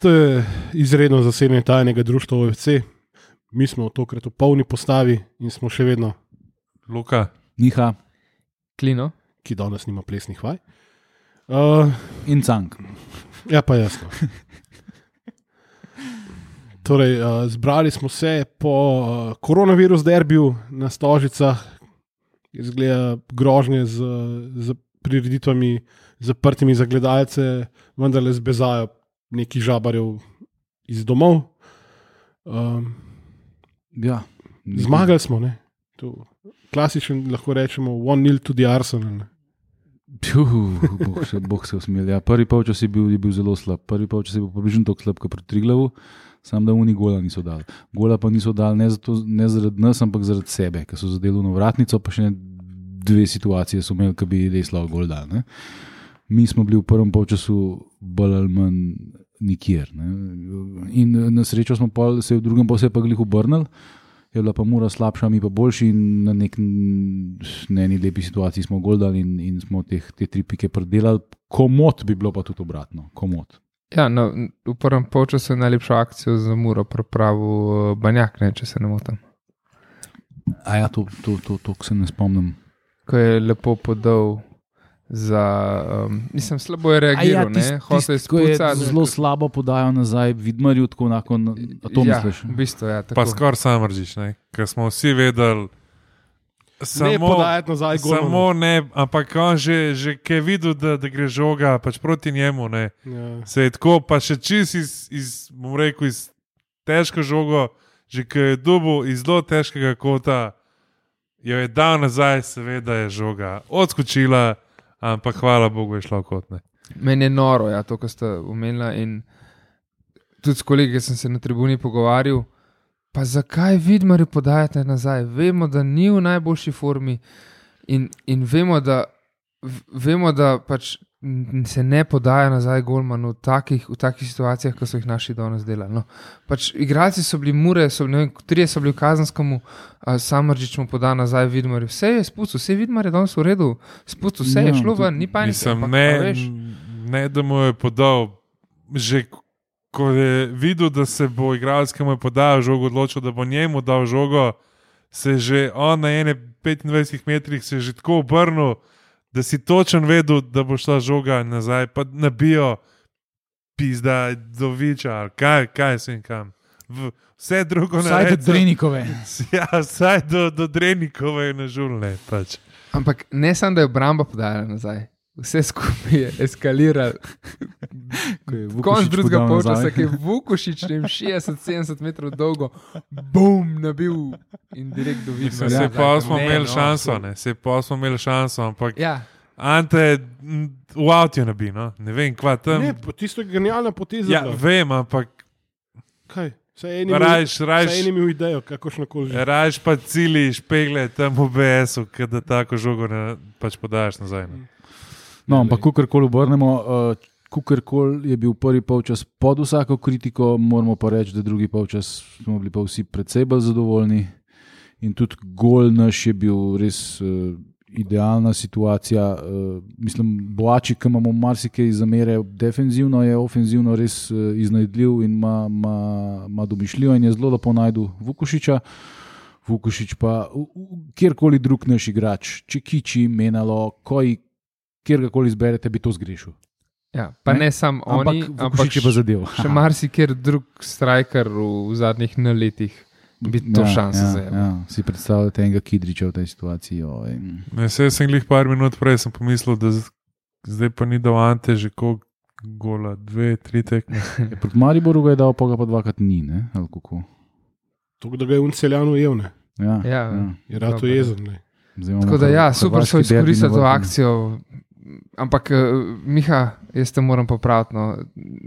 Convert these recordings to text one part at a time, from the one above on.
To je izredno zasedanje tajnega društva OFC. Mi smo tokrat v polni postavi in smo še vedno Luka, Miha Klino, ki danes nima plesnih vaj. in Cank. Ja, pa jasno. Torej, zbrali smo se po koronavirus derbiju na Stožicah, izgleda grožnje z prireditvami zaprtimi za gledalce, vendarle zbezajo neki žabarjev iz domov. Ja, Zmagali smo, ne? To, klasičen, lahko rečemo, 1-0 tudi Arsenal. Bog se usmil. Ja, prvi polčas je bil zelo slab. Prvi polčas je bil približno tako slab, kot pri Triglavu, samo da oni gola niso dali. Gola pa niso dali ne zaradi nas, ampak zaradi sebe, ker so zadeli v vratnico, pa še dve situacije so imeli, ki bi res lahko gol dali. Ne? Mi smo bili v prvem polčasu bolj ali manj nikjer. Ne? In na srečo smo se v drugem polčasu pa glih obrnili, je bila pa Mura slabša, mi pa boljši in na eni lepi situaciji smo gol dali in smo te 3 pike predelali. Komot bi bilo pa tudi obratno. Komot. Ja, no, v prvem polčasu je najlepšo akcijo za Muro pripravil Banjak, ne, če se ne motim. A ja, to se ne spomnim. Ko je lepo podal za... mislim, slabo je reagiral, hotel je spucati. Zelo slabo podajo nazaj Vidmarju, tako onako, to misliš? Ja, v bistvu, ja. Tako. pa skoraj Samržič, ker smo vsi vedeli, Ne podajati nazaj golmanu. samo ne, ampak on že ki je videl, da gre žoga pač proti njemu, ne, Ja. se je tako, pa še čist bom rekel, iz težko žogo, že ki je dobil iz zelo težkega kota, jo je dal nazaj, seveda je žoga odskočila, ampak hvala Bogu je šla v kot. Ne. Meni je noro, ja, to, kar ste omenila in tudi s kolegi, ki sem se na tribuni pogovarjal, pa zakaj Vidmarju podajate nazaj? Vemo, da ni v najboljši formi in vemo, da pač se ne podaja nazaj golmanu v takih situacijah, kot so jih naši danes delali. No. Pač igralci so bili Mure, ne vem, 3 so bili v Kazenskemu, Samržič mu poda nazaj Vidmarju. Vse je spustil, vse Vidmar je danes v redu, spustil, vse je šlo ven, ni panike. Mislim, ne da mu je podal, že ko je videl, da se bo igralec, ki mu je podal žogo, odločil, da bo njemu dal žogo, se že on na 25 metrih se je že tako obrnil, da si točen vedel, da bo šla žoga nazaj, pa nabijo pizda do Viča, kaj se in kam. Vse drugo ne. Vsaj do Drenikove. Ja, vsaj do Drenikove je nažulne. Pač. Ampak ne samo, da je obramba podajala nazaj, vse skupaj je eskaliralo. Konec drugega polčasa, ki je Vukušič 60-70 metrov dolgo, bum, nabil in direkt do Vidmarja. Se pa smo imeli šanso, ne? Se pa smo imeli šanso, ampak Ja. Ante v avtu nabi, no? Ne vem, kva tam. Ne, tisto je genialna poteza. Ja, vem, ampak Kaj? Saj eni imel idejo, kakošnokoli že. rajš pa cili špegle tam v BS-u, kada tako žogo pač podajaš nazaj. Ne? No, ampak kakorkoli obrnemo, kakorkoli je bil prvi polčas pod vsako kritiko, moramo pa reči, da drugi polčas smo bili pa vsi precej bolj zadovoljni in tudi gol naš je bil res idealna situacija. Mislim, Boači, ki imamo marsikaj zamere defenzivno, je ofenzivno res iznajdljiv in ima domišljivo in je zelo lepo najdu Vukušiča. Vukušič pa kjerkoli drug naš igrač, Čekiči, Menalo, kjerkoli izberete, bi to zgrešil. Ja, pa ne samo oni, ampak je pa zadev. še marsikjer drug striker v zadnjih letih bi to šanso zajel. Ja. Si predstavljate enega Kidriča v tej situaciji. Ne, sem glih par minut prej sem pomislil, da zdaj pa ni dal Ante že koliko gola, 2-3 tekme. Proti Mariboru ga je dal, pa ga pa dvakrat ni, ne? Ali kako? To, da ga je Unceljano ujel, ne? Ja. Je rado jezen, ne? Tako da ja, super so izkoristili to akcijo. Ampak, Miha, jaz te moram popraviti. No.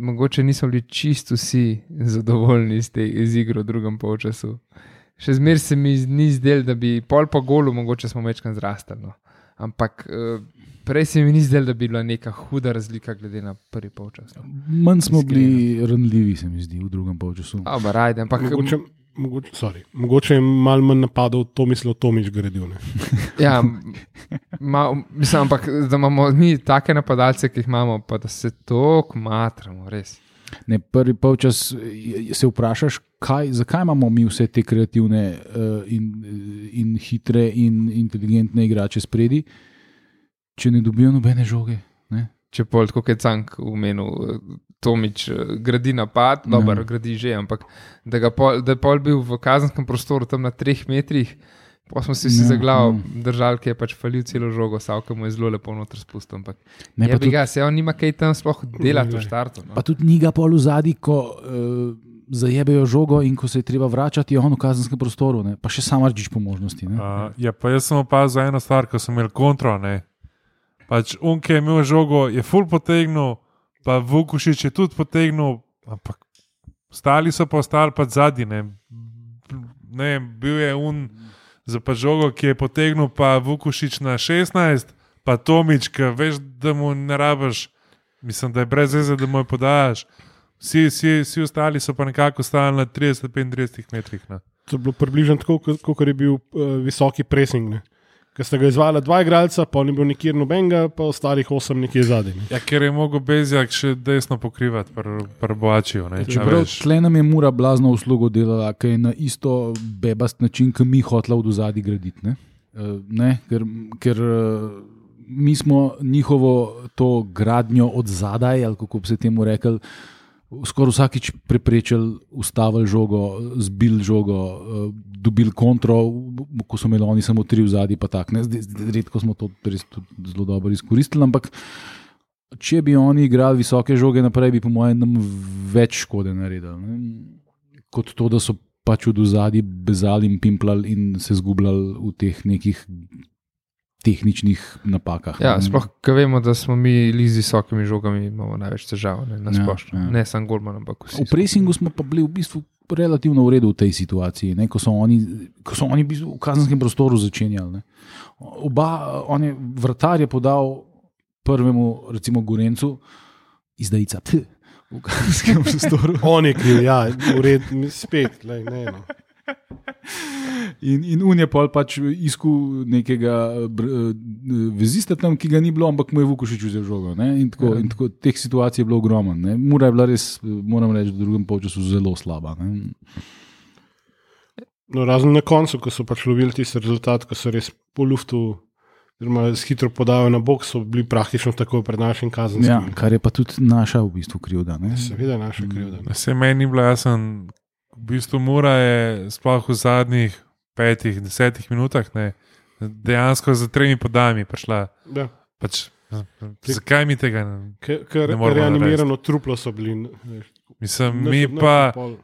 Mogoče nismo bili čisto vsi zadovoljni z igro v drugem polčasu. Še zmeraj se mi ni zdelo, da bi pol po golu mogoče smo večkrat zrastali. No. Ampak prej se mi ni zdelo, da bi bila neka huda razlika glede na prvi polčas. Manj smo bili ranljivi, se mi zdi, v drugem polčasu. Ampak Mogoče je malo manj napadov Tomislav Tomič gradil. Ja, mislim, ampak da imamo mi take napadalce, ki jih imamo, pa da se toliko matramo, res. Ne, prvi polčas se vprašaš, zakaj imamo mi vse te kreativne in hitre in inteligentne igrače spredi, če ne dobijo nobene žoge. Ne? Če pol, tako je Cank omenil, Tomič gradi napad, dobro, gradi že, ampak da je pol bil v kazenskem prostoru tam na 3 metrih, pa smo si za glavo držali, ki je pač falil celo žogo, Savka mu je zelo lepo noter spustil, ampak se on nima kaj tam sploh delati v štartu. No. Pa tudi ni ga pol v zadnji, ko zajebejo žogo in ko se je treba vračati, je on v kazenskem prostoru, ne? Pa še sam Arčič po možnosti. Pa jaz sem opazil eno stvar, ko sem imel kontro, ne. Pač Unke je imel žogo, je ful potegnil, pa Vukušič je tudi potegnil, ampak ostali so pa ostali pa zadnji, ne, bil je za pa žogo, ki je potegnil pa Vukušič na 16, pa Tomič, ki veš, da mu ne rabiš, mislim, da je brez veze, da mu je podajaš. Vsi ostali so pa nekako stali na 30-35 metrih. Ne. To je bilo približno tako, kot je bil visoki pressing. Ne. Ker sta ga izvala 2 igralca, pa ni bil nikjer nobenega, pa ostalih 8 nekje zadaj. Ne. Ja, ker je mogel Bezjak še desno pokrivati pri Boačiju. Čeprav tle nam je Mura blazno uslugo delala, ki je na isto bebast način, ki mi hotla v dozadi graditi. Ker mi smo njihovo to gradnjo od zadaj, ali kako bi se temu rekel, skoraj vsakič preprečili, ustavili žogo, zbili žogo, dobili kontro, ko so imeli oni samo 3 v zadnji, pa tak. Redko smo to res zelo dobro izkoristili, ampak če bi oni igrali visoke žoge naprej, bi po mojem nam več škode naredili. Ne? Kot to, da so pač od zadnji bezali in pimplali in se zgubljali v teh nekih tehničnih napakah. Ja, sploh, ko vemo, da smo mi z visokimi žogami, imamo največ težav, na splošno. Ja. Ne samo Golman, ampak vsi. V pressingu smo pa bili v bistvu relativno v redu v tej situaciji, ne? Ko so oni v bistvu v kazenskem prostoru začenjali. Ne? Vratar je podal prvemu, recimo Gorencu, izdajica v kazenskem prostoru. On je kriv, ja, v redu, spet, ne. In on je pač iskal nekega vezista tam, ki ga ni bilo, ampak mu je Vukušič vzel žogo. In tako teh situacij je bilo ogromno. Mura je bila res, moram reči, v drugem polčasu zelo slaba. Ne? No, razen na koncu, ko so pač lovili tisti rezultat, ko so res po luftu hitro podali na bok, so bili praktično takoj pred našim kazenskim. Ja, kar je pa tudi naša v bistvu krivda. Seveda je naša krivda. Se meni ni bilo jasno. V bistvu Mura je sploh v zadnjih 5-10 minutah dejansko za 3 podajami prišla. Ja. Zakaj mi tega ne moremo narediti? Reanimirano truplo so bili. Mislim,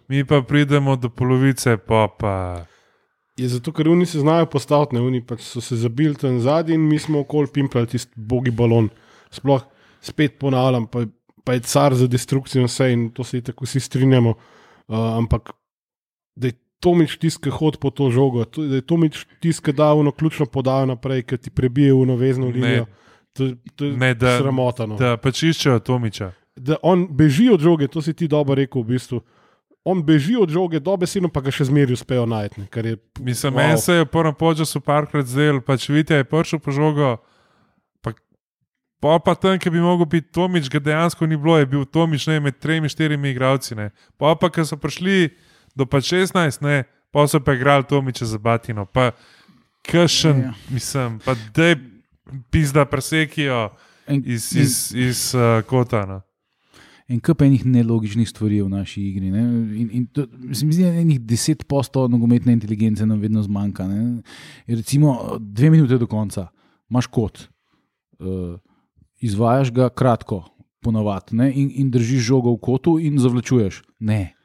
mi pa pridemo do polovice, pa... Je zato, ker oni se znajo postaviti, oni pač so se zabili tam zadnji in mi smo okoli pimpljali tisti bogi balon. Sploh spet ponavljam, pa je car za destrukcijo vse in to se je tako vsi strinjamo. Ampak da je Tomič tisti, ki hodi po to žogo, da je Tomič tisti, ki da ono ključno podajo naprej, ki ti prebije v vezno linijo, to je sramotano. Da pač iščejo Tomiča. Da on beži od žoge, to si ti dobro rekel v bistvu. On beži od žoge, dobesedno pa ga še zmeri uspejo najti. Mislim, meni se je v prvem polčasu parkrat zdel, pač Vitja je prišel po žogo, pa tam, ki bi mogel biti Tomič, ga dejansko ni bilo, je bil Tomič med 3-4 igralci. Pa ki so prišli do 16, pa so pa igrali Tomiča za batino. Pa kakšen, mislim, pa dej pizda presekijo iz kota. No. En kup enih nelogičnih stvari v naši igri. Ne? In to, se mi zdi, da enih 10% nogometne inteligence nam vedno zmanjka. Recimo 2 minute do konca, imaš kot. Izvajaš ga kratko, ponavadi, in držiš žogo v kotu in zavlačuješ. Ne.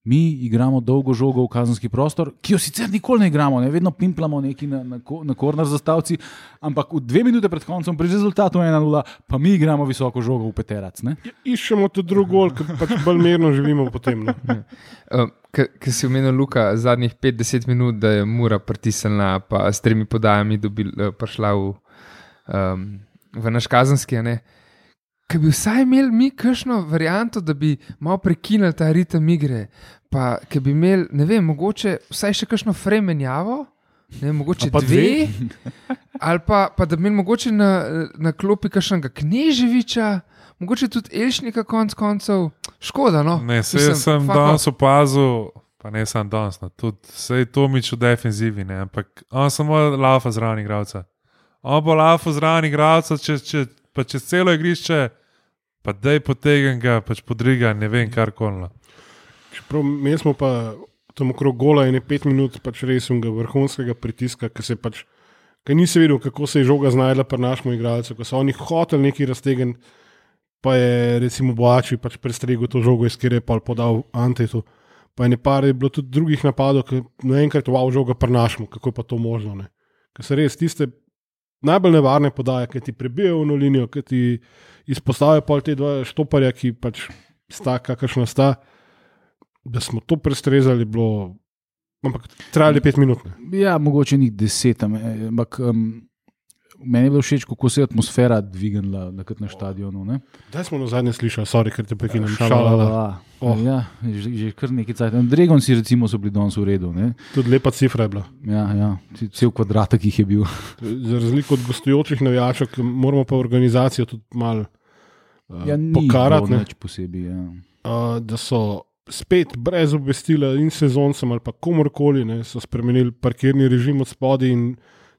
Mi igramo dolgo žogo v kazenski prostor, ki jo sicer nikoli ne igramo, vedno pimplamo neki na korner zastavci, ampak v 2 minute pred koncem pri rezultatu 1-0, pa mi igramo visoko žogo v peterac. Iščemo tudi drug gol, ker pač bolj mirno živimo potem. Ker si omenil Luka, zadnjih 5-10 minut, da je Mura pritisnila, pa s 3 podajami prišla v naš kazenski, Ker bi vsaj imeli mi kakšno varianto, da bi malo prekinili ta ritem igre, pa ker bi imeli, ne vem, mogoče vsaj še kakšno fremenjavo, mogoče 2, ali pa da bi imeli mogoče na klopi kakšnega Kneževiča, mogoče tudi Elšnika konc koncev, škoda, no. Ne, sem danes opazil, pa ne sem danes, no, tudi sej Tomič v defenzivi, ne, ampak on samo laufa zraven igralca. On bo laufa zraven igralca, pa čez celo igrišče, pa dej potegem ga, pač podriga, ne vem, kar kolno. Čeprav mi smo pa tam okrog gola in 5 minut pač res vrhunskega pritiska, ker nisi videl, kako se je žoga znajdla pri našemu igralcu, ko so oni hoteli neki raztegen, pa je recimo Boači pač prestregel to žogo, iz kjer je pa podal Antetu. Pa je nekaj bilo tudi drugih napadov, ki naenkrat žoga pri našemu, kako je pa to možno. Ne? Ker se res tiste najbolj nevarne podaje, ki ti prebijajo v linijo, ki ti izpostavijo pol te dva štoparja, ki pač sta, kakršna sta, da smo to prestrezali, bilo, ampak trajali 5 minut. Ne? Ja, mogoče njih 10, ampak meni je bilo všeč, kako se je atmosfera dvignila na stadionu. Daj smo na zadnje slišali, sorry, ker te prekinem. Ja, že kar nekaj cajt. Dragon si recimo so bili danes v redu. Ne? Tudi lepa cifra je bila. Ja, cel kvadratek jih je bil. Za razliko od gostujočih navijačev, moramo pa organizacijo tudi malo pokarati. Ni nič posebej. Ja. Da so spet brez obvestila in sezoncem ali pa komorkoli, so spremenili parkirni režim od spodaj in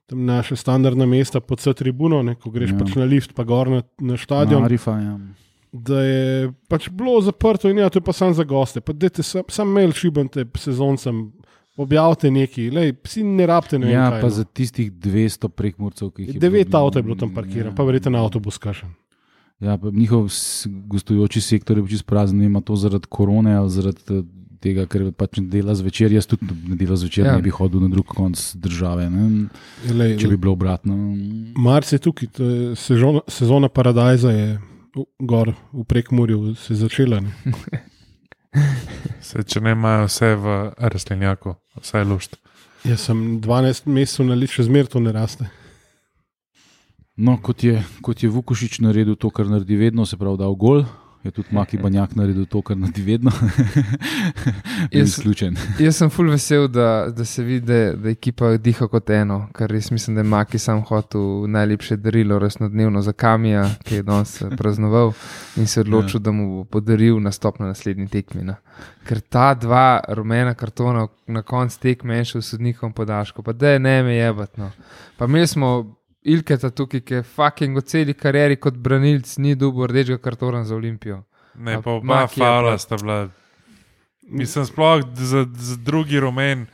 tam naše standardna mesta pod C tribuno, ko greš pač na lift, pa gor na stadion. Marifa, ja. Da je pač bilo zaprto in to je pa samo za goste. Pa dajte sam mail šibante sezoncem, objavite nekaj, psi ne rabite ne vem kaj. Ja, pa za tistih 200 prekmurcev, ki jih je 9 avto je bilo tam parkiran, pa verjetno avtobus kašen. Ja, pa njihov gostujoči sektor je čisto prazen, ima to zaradi korone ali zaradi tega, ker pač ne dela zvečer. Jaz tudi ne dela zvečer, ne bi hodil na drug konc države, če bi bilo obratno. Marc je tukaj, sezona Paradajza je gor v Prekmurju se začela. Če ne imajo vse v rastlinjaku, vse je lušt. Jaz sem 12 mesecev na let, še zmer to ne raste. No, kot je Vukušič naredil to, kar naredi vedno, se pravi dal gol, je tudi Maki Banjak naredil to, kar naredi vedno. Izključen. Jaz sem ful vesel, da se vidi, da ekipa diha kot eno, kar res mislim, da je Maki sam hotel najlepše darilo resnodnevno za Kamija, ki je danes praznoval in se odločil, da mu bo podaril nastop na naslednji tekmi. Ker ta 2 rumena kartona na konc tekme en še v sodnikom podaljšku, pa da je ne me jebat. No. Pa imeli smo Ilketa tukaj, ki je fucking v celi karieri kot branilc ni dobil rdečega kartona za Olimpijo. Ne, pa oba faula sta bila. Mislim, sploh za drugi rumen.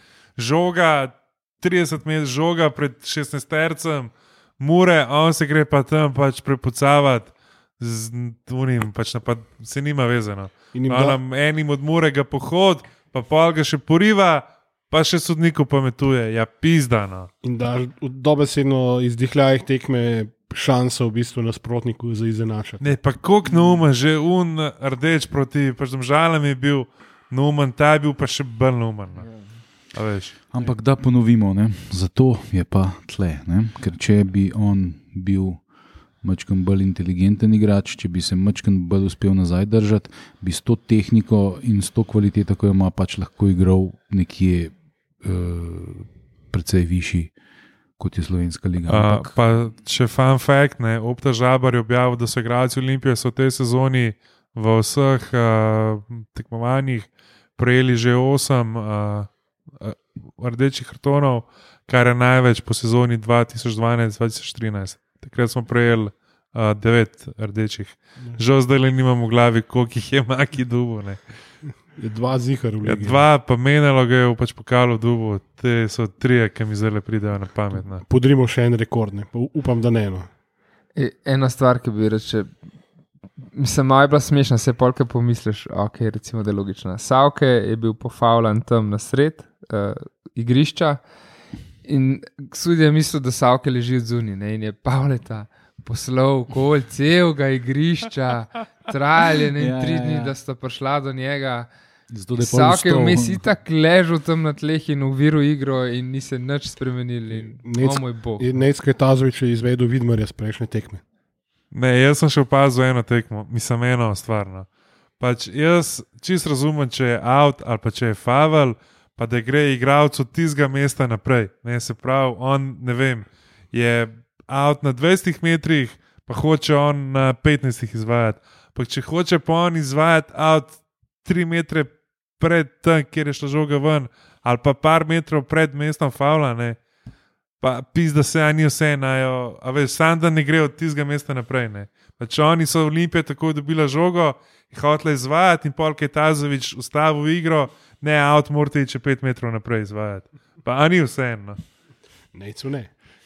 Žoga, 30 metrov žoga pred 16-tercem, Mure, on se gre pa tam pač prepucavati z unim, pač napad, se nima vezano. Enim od Mure ga pohod, pa pol ga še poriva, pa še sodniku pametuje, ja pizdano. In da dobesedno izdihljajih tekme šanso v bistvu nasprotniku za izenačati. Ne, pa koliko neumen, že rdeč proti pač Domžalam je bil neumen, ta je bil pa še bolj neumen. Ampak da ponovimo, zato je pa tle, ker če bi on bil mačkan bolj inteligenten igrač, če bi se mačkan bolj uspel nazaj držati, bi s to tehniko in s to kvaliteto, ko jo ima, pač lahko igral nekje precej višji, kot je Slovenska liga. Pa če fun fact, Opta Žabar je objavil, da so igralci Olimpije so v tej sezoni v vseh tekmovanjih prejeli že 8 rdečih kartonov, kar je največ po sezoni 2012-2013. Takrat smo prejeli 9 rdečih. Žal zdaj le nimam v glavi, koliko jih je Maki dubo. Je 2 zihar v ligi. 2 pa menjalo ga je v pač pokalu dubo. Te so 3, ki mi zdaj pridejo na pamet. Podrimo še en rekord, upam, da ne. Ena stvar, ki bi reče, mislim, malo je bila smešna, se polke pomisliš, ok, recimo, da je logična. Savke je bil pofaulan tam na sred igrišča in sudija je mislil, da Savke leži od zunaj in je Pavleta poslal okoli celega igrišča, trajali 3 dni, da sta prišla do njega. Savke je vmes itak ležal tam na tleh in uviral igro in ni se nič spremenili. Moj bog. Necka Tazović je izvedel Vidmarja s prejšnje tekme. Ne, jaz sem še opazil eno tekmo, mislim eno stvar. Pač jaz čisto razumem, če je out ali pa če je favel, pa da gre igralec od tistega mesta naprej. Ne, se pravi, on, ne vem, je out na 20 metrih, pa hoče on na 15 izvajati. Pa če hoče pa on izvajati out 3 metre pred tem, kjer je šla žoga ven, ali pa par metrov pred mestom favla, ne, pa pizda se, ni vse enajo, a veš, sam da ne gre od tistega mesta naprej, ne. Pa če oni so Olimpije tako dobila žogo, je hotela izvajati in pol Kajtazovič ustavil igro, ne, out morate iti 5 metrov naprej izvajati. Pa a ni vse eno. Ne.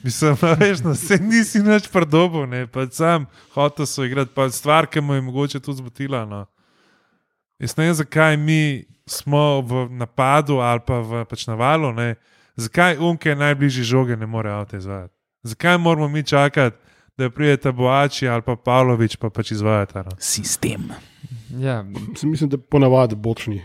Mislim, veš, no, se nisi nič predobil, ne, pa sam hotel so igrati, pa stvar, ki mu je mogoče tudi zbotila, no. Jaz ne vem, zakaj mi smo v napadu ali pa v pač navalu, ne, zakaj Unke najbližji žoge ne more avto izvajati. Zakaj moramo mi čakati, da prijeta Boači ali pa Pavlović pa pač izvajata, no. Sistem. Ja, Mislim, da ponavadi bočni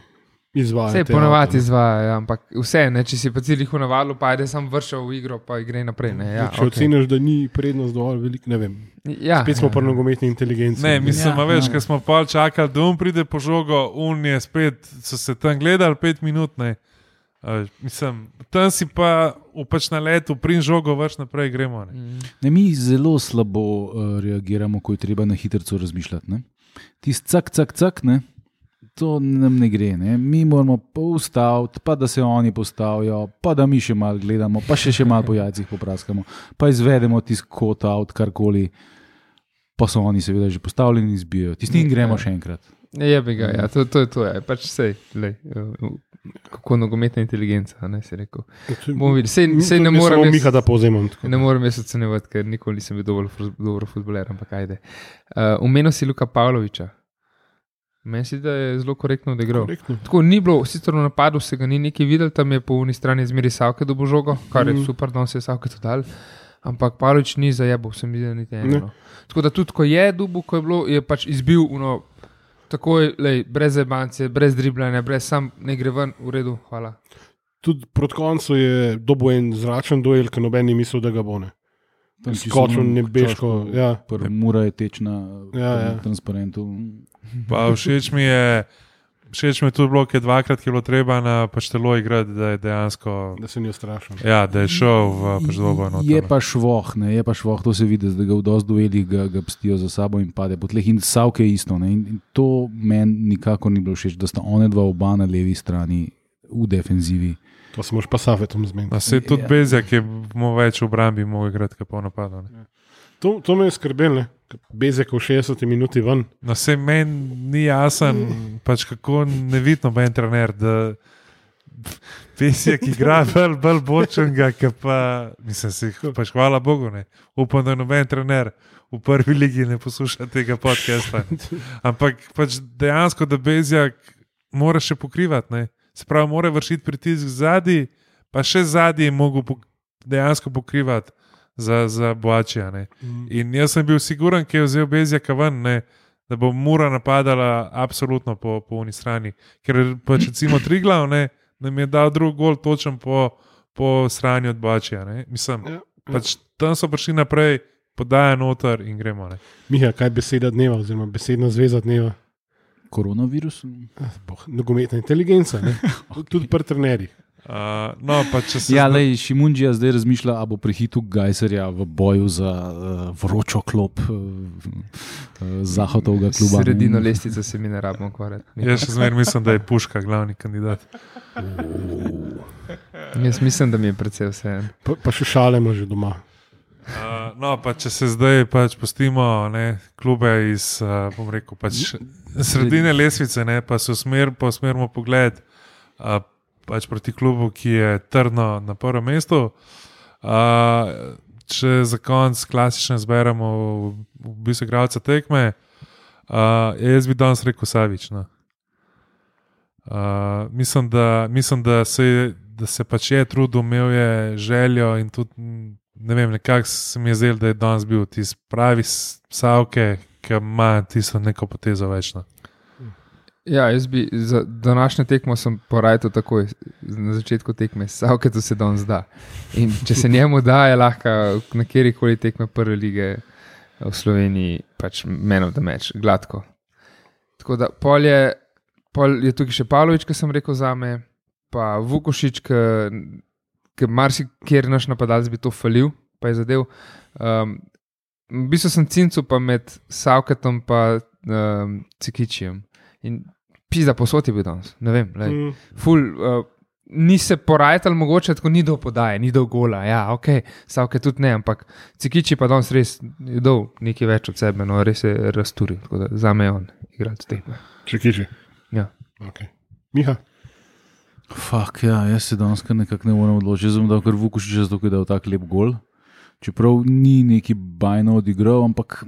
izvajajo. vse ponovadi izvajajo, ja, ampak vse, ne, če si pa cilih v navalu, pa ajde sam vršal v igro, pa gre naprej. Ne, ja, Če oceniš, da ni prednost dovolj velik, ne vem. Ja, Spet smo pri nogometni inteligenci. Ne, mislim, Ja, veš, ja. ker smo pol čakali, da pride po žogo, je spet, so se tam gledali 5 minut, ne. Mislim, tam si pa pač na letu, prim žogo, vrš naprej gremo. Ne. Ne, mi zelo slabo reagiramo, ko je treba na hitrico razmišljati. Ne? Tisti cak, ne? To nam ne gre. Ne? Mi moramo pa ustaviti, pa da se oni postavijo, pa da mi še malo gledamo, pa še malo po jajcih popraskamo, pa izvedemo tisti kot out, karkoli, pa so oni seveda že postavljeni in izbijajo. Tisti in gremo še enkrat. Je bi ga, ja, to je to, ja, pač sej, lej, kako nogometna inteligenca, ne, si rekel. Bomo videli, sej ne morem Samo jaz- Miha, da povzemam. tako. Ne morem jaz ocenjevati, ker nikoli nisem bil dobro futboler, ampak ajde. Omenil si Luka Pavloviča. Meni se zdi, da je zelo korektno odigral. Korektno. Tako ni bilo, sicer v napadu se ga ni nekaj videl, tam je po uni strani zmeri Savke dobo žogo, kar je super, da on se je Savke to dal. Ampak Pavlovič ni zajebal, sem videl niti eno. Tako da tudi, ko je dubu, ko je bilo, je pač izbil takoj, lej, brez zebance, brez driblanja, brez sam ne gre ven, v redu, hvala. Tudi proti koncu je dobil en zračen duel, ker noben ni mislil, da ga bo ne. Skočil nebeško. Ja. Prva mura je teč na Ja. transparentu. Pa všeč mi je tudi bilo, ker dvakrat je bilo treba na pač telo igrati, da je dejansko, Da se ni ustrašil. ja, da je šel v pač dobo enoto. Je pa švoh, ne, je pa švoh, to se vidi, da ga v dosti duelih ga pstijo za sabo in pade po tleh. In Savke je isto. Ne, in to meni nikakor ni bilo všeč, da sta one dva oba na levi strani v defenzivi. To se moraš pa Safetom zmeniti. No, se tudi Bezjak je mu več v obrambi mogel igrati, kot pa v napadu. Ne. To me je skrbelo, Bezek v 60 minuti ven. No, se meni ni jasen, pač kako nevidno bo en trener, da Bezjak igra bolj bočenega, ki pa, mislim si, pač hvala Bogu, ne. Upam, da noben trener v prvi ligi ne posluša tega podcasta. Ampak pač dejansko, da Bezjak mora še pokrivati, ne. Se pravi, mora vršiti pritisk zadnji, pa še zadnji je mogel dejansko pokrivati za Boačija. In jaz sem bil siguren, ki je vzel Bezjaka ven, ne, da bo Mura napadala absolutno po uni strani. Ker pač recimo Triglav, ne, nam je dal drug gol točen po strani od Boačija. Mislim, pač tam so prišli naprej, podaja noter in gremo. Ne. Miha, kaj je beseda dneva, oziroma besedna zveza dneva? Koronavirus? Nogometna inteligenca, ne? Tudi pri trenerjih. No, pa če se Ja, lej, Šimunđija zdaj razmišlja, ali bo prehitil Gajserja v boju za vročo klop Zahodovega kluba. Sredino lestvice se mi ne rabimo ukvarjati. Jaz še zmeraj mislim, da je Puška glavni kandidat. Jaz mislim, da mi je predvsej vse. Pa še šalemo že doma. No, pa če se zdaj pač pustimo klube iz, bom rekel, pač sredine lestvice, ne, pa se usmerimo pogled pač proti klubu, ki je trdno na prvem mestu. Če za konc klasično zberemo v bistvu igralca tekme, jaz bi danes rekel Savić. No. Mislim, da se pač je trudil, imel je željo in tudi ne vem, nekako se mi je zdelo, da je danes bil tisti pravi Savke, ki ima tisto neko potezo večno. Ja, jaz bi za današnjo tekmo sem porajal takoj na začetku tekme, Savke to se danes da. In če se njemu da, je lahko na kjerikoli tekme prve lige v Sloveniji pač man of the match, gladko. Tako da pol je tukaj še Pavlović, ki sem rekel zame, pa Vukošič, ki marsikjer naš napadalec bi to falil, pa je zadev. V bistvu sem cincu pa med Savketom pa Cikičijem. In pizda posod je bil danes, ne vem, ful, ni se porajtal mogoče, tako ni do podaje, ni do gola, ja, ok, Savke tudi ne, ampak Cikiči pa danes res je dal nekaj več od sebe, no, res je razturil, tako da zame je on igralec tekme. Cikiči. Ja. Okay. Miha? Fak, ja, jaz se danes kar nekako ne morem odločiti. Jaz sem dal kar Vukušiča, zato je dal tak lep gol. Čeprav ni neki bajno odigral, ampak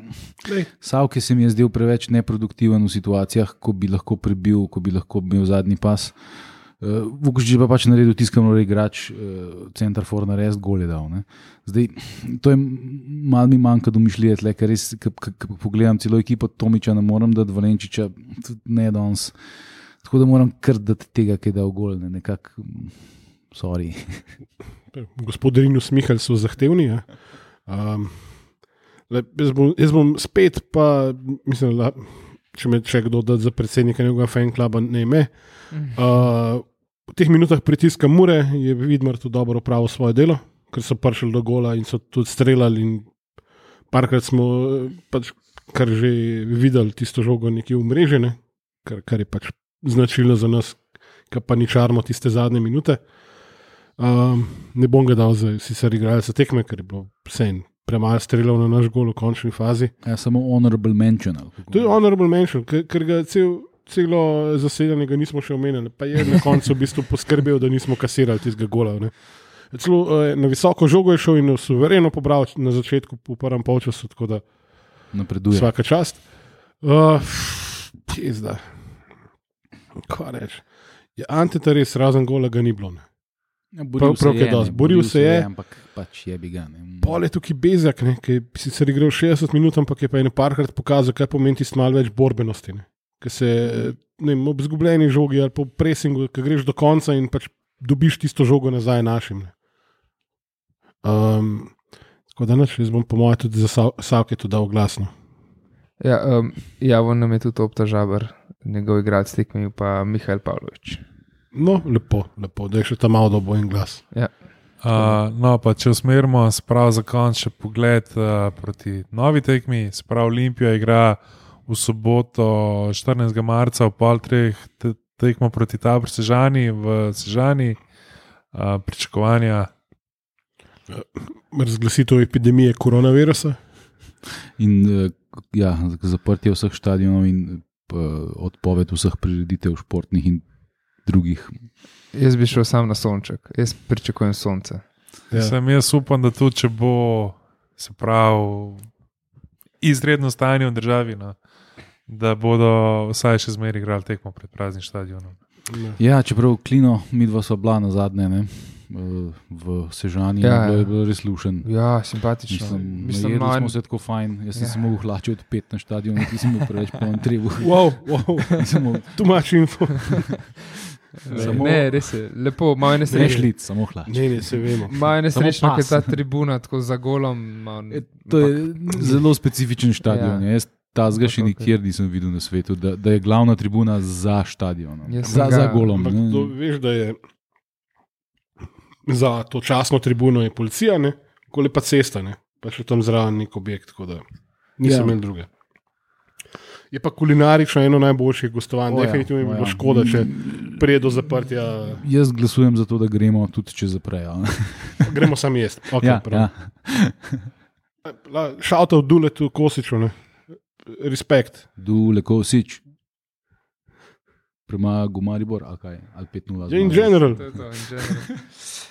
Savke se mi je zdel preveč neproduktiven v situacijah, ko bi lahko prebil, ko bi lahko imel zadnji pas. Vukušič pa pač naredil tiskano igrač, center for narediti, gol je dal. Ne. Zdaj, to je malo mi manjka domišljije tle, ker res, ko pogledam celo ekipo Tomiča, ne morem dati Valenčiča, ne danes. Tako da moram kar dati tega, ki je dal gol, ne, nekako, sorry. Gospodarinu Smihalj so zahtevni. Ja. Jaz bom spet, pa mislim, da če me če kdo da za predsednika njegovega fankluba, ne ime. V teh minutah pritiska Mure je Vidmar tudi dobro opravil svoje delo, ker so prišli do gola in so tudi streljali in parkrat smo pač kar že videli tisto žogo nekje v mreži, ne? Kar je pač značilno za nas, ki pa ničarmo tiste zadnje minute. Ne bom ga dal za sicer igralca tekme, ker je bilo vsem premalo streljal na naš gol v končni fazi. Ja, samo honorable mention. To je honorable mention, ker ga celo zasedanje ga nismo še omenili, pa je na koncu v bistvu poskrbel, da nismo kasirali tistega gola. Ne. Celo na visoko žogo je šel in suvereno pobral na začetku v prvem polčasu, tako da napreduje. Vsaka čast. Pizda. Kaj reči? Ja, Anteta res razen gola ga ni bilo. Ja, boril se je, ampak pač je bi ga. Pol je tukaj Bezjak, ki je sicer igral 60 minut, ampak je pa eno parkrat pokazal, kaj pomeni tisto malo več borbenosti. Ker se ob izgubljeni žogi ali po presingu, ki greš do konca in pač dobiš tisto žogo nazaj našim. Tako da jaz bom po mojem tudi za Savke to dal glasno. Ja, javno nam je tudi Opta Žabar, njegov igralec tekme, pa Mihael Pavlović. No, lepo, da je še ta malo dobo en glas. Ja. No, pa če usmerimo, sprav za konc še pogled proti novi tekmi, sprav Olimpija igra v soboto 14. marca v pol treh tekmo proti Tabor Sežani v Sežani, pričakovanja. Razglasitev epidemije koronavirusa. In ja, zaprtje vseh stadionov in odpoved vseh prireditev športnih in drugih. Jaz bi šel sam na sonček, jaz pričakujem sonce. Ja. Jaz upam, da tudi če bo se pravi izredno stanje v državi, no, da bodo vsaj še zmeraj igrali tekmo pred praznim stadionom. Ja, čeprav Klino, midva sva bila na zadnje, ne? V Sežani, ja, je bilo res lušen. Ja, simpatično. Mislim, smo se tako fajn, jaz sem se mogel hlačiti od 5 na stadionu, ti sem preveč poln trebu. Wow, tu imaš info. Ne, res je, lepo, malo je nesrečno. Nešlic, samo hlač. Ne, se vemo. Malo je nesrečno, ker ta tribuna tako za golom. To je zelo specifičen stadion, ja. Jaz tazga še nikjer nisem videl na svetu, da je glavna tribuna za stadionom, za golom. Ampak to veš, da je za to časno tribuno je policija, ne? Koli pa cesta, ne? Pa še tam zraven nek objekt, tako da nisem imel druge. Je pa kulinarično eno najboljših gostovanj, definitivno je bilo škoda, če prije do zaprtja. Jaz glasujem za to, da gremo tudi če zaprejo. Gremo sam jest. Okay, ja. Shout out Duletu Kosiču, ne? Respekt. Dule Kosič. Prema Gumaribor, ali kaj? Ali 5-0. In general. To je to, in general.